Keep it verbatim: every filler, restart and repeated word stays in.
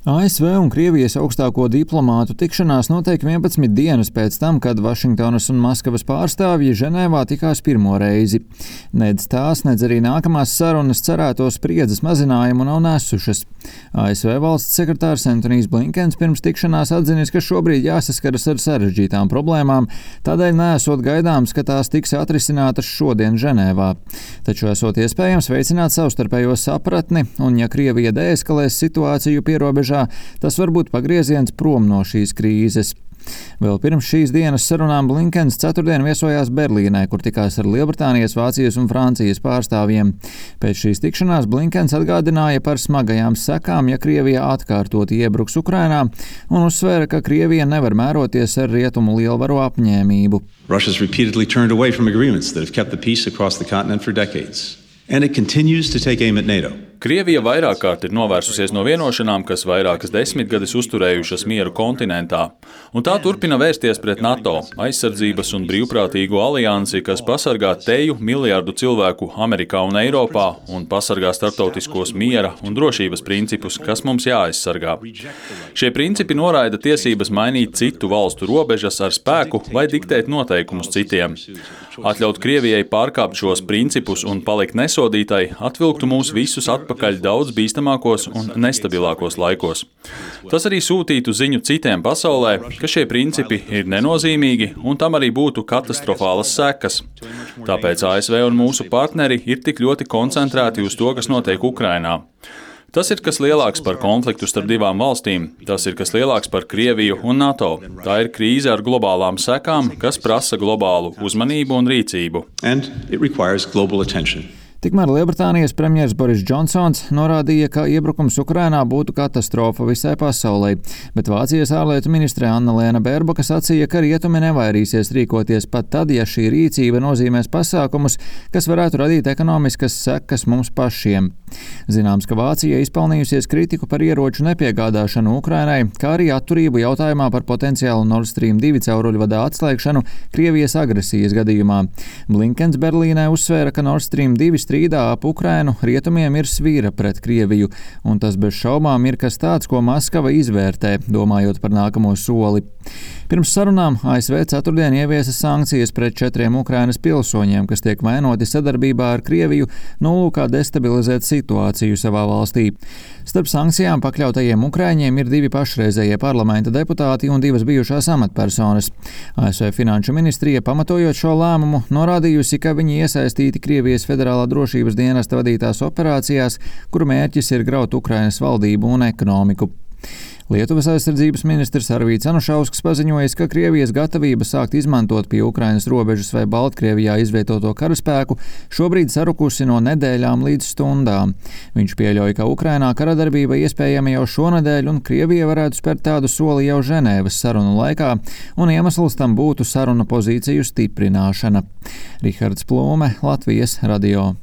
A S V un Krievijas augstāko diplomātu tikšanās notiek vienpadsmit dienas pēc tam, kad Vašingtonas un Maskavas pārstāvji Ženēvā tikās pirmo reizi. Nedz tās, nedz arī nākamās sarunas cerēto spriedzes mazinājumu nav nesušas. A S V valsts sekretārs Antonijs Blinkens pirms tikšanās atzinis, ka šobrīd jāsaskaras ar sarežģītām problēmām, tādēļ neesot gaidāms, ka tās tiks atrisinātas šodien Ženēvā. Taču esot iespējams veicināt savstarpējo sapratni, un ja Krievija deeskalēs situāciju pierobežā, tas var būt pagrieziens prom no šīs krīzes. Vēl pirms šīs dienas sarunām Blinkens ceturtdien viesojās Berlīnē, kur tikās ar Lielbritānijas, Vācijas un Francijas pārstāvjiem. Pēc šīs tikšanās Blinkens atgādināja par smagajām sekām, ja Krievija atkārtoti iebruks Ukrainā, un uzsvēra, ka Krievija nevar mēroties ar rietumu lielvaru apņēmību. Russia's repeatedly turned away from agreements that have kept the peace across the continent for decades. And it continues to take aim at NATO. Krievija vairāk kārt ir novērsusies no vienošanām, kas vairākas desmitgades uzturējušas mieru kontinentā, un tā turpina vērsties pret NATO, aizsardzības un brīvprātīgo aliansi, kas pasargā teju miljardu cilvēku Amerikā un Eiropā un pasargā starptautiskos miera un drošības principus, kas mums jāaizsargā. Šie principi noraida tiesības mainīt citu valstu robežas ar spēku vai diktēt noteikumus citiem. Atļaut Krievijai pārkāpt šos principus un palikt nesodītai atvilktu mūs visus atpakaļ daudz bīstamākos un nestabilākos laikos. Tas arī sūtītu ziņu citiem pasaulē, ka šie principi ir nenozīmīgi un tam arī būtu katastrofālas sekas. Tāpēc A S V un mūsu partneri ir tik ļoti koncentrēti uz to, kas notiek Ukrainā. Tas ir kas lielāks par konfliktu starp divām valstīm, tas ir kas lielāks par Krieviju un NATO. Tā ir krīze ar globālām sekām, kas prasa globālu uzmanību un rīcību. And it requires global attention. Tikmēr Lielbritānijas premjers Boris Džonsons norādīja, ka iebrukums Ukrainā būtu katastrofa visai pasaulē, bet Vācijas ārlietu ministre Anna-Lēna Bērboka sacīja, ka rietumi nevairīsies rīkoties pat tad, ja šī rīcība nozīmēs pasākumus, kas varētu radīt ekonomiskas sekas mums pašiem. Zināms, ka Vācija izpelnījusies kritiku par ieroču nepiegādāšanu Ukrainai, kā arī atturību jautājumā par potenciālu Nord Stream divi cauruļvadā atslēgšanu Krievijas agresijas gadījumā. Blinkens Berlīnē uzsvēra, ka Nord Stream divi strīdā ap Ukrainu rietumiem ir svīra pret Krieviju, un tas bez šaubām ir kas tāds, ko Maskava izvērtē, domājot par nākamo soli. Pirms sarunām A S V ceturtdien ieviesa sankcijas pret četriem Ukrainas pilsoņiem, kas tiek vainoti sadarbībā ar Krieviju, nolūkā destabilizēt situāciju savā valstī. Starp sankcijām pakļautajiem ukraiņiem ir divi pašreizējie parlamenta deputāti un divas bijušās amatpersonas. A S V finanšu ministrija, pamatojot šo lēmumu, norādījusi, ka viņi iesaistīti Krievijas federālā drošības dienesta vadītās operācijās, kuru mērķis ir graut Ukrainas valdību un ekonomiku. Lietuvas aizsardzības ministrs Arvīds Anušausks paziņojis, ka Krievijas gatavība sākt izmantot pie Ukrainas robežas vai Baltkrievijā izvietoto karaspēku šobrīd sarukusi no nedēļām līdz stundām. Viņš pieļauj, ka Ukrainā karadarbība iespējama jau šonedēļ un Krievija varētu spērt tādu soli jau Ženēvas sarunu laikā, un iemesls tam būtu saruna pozīciju stiprināšana. Rihards Plūme, Latvijas radio.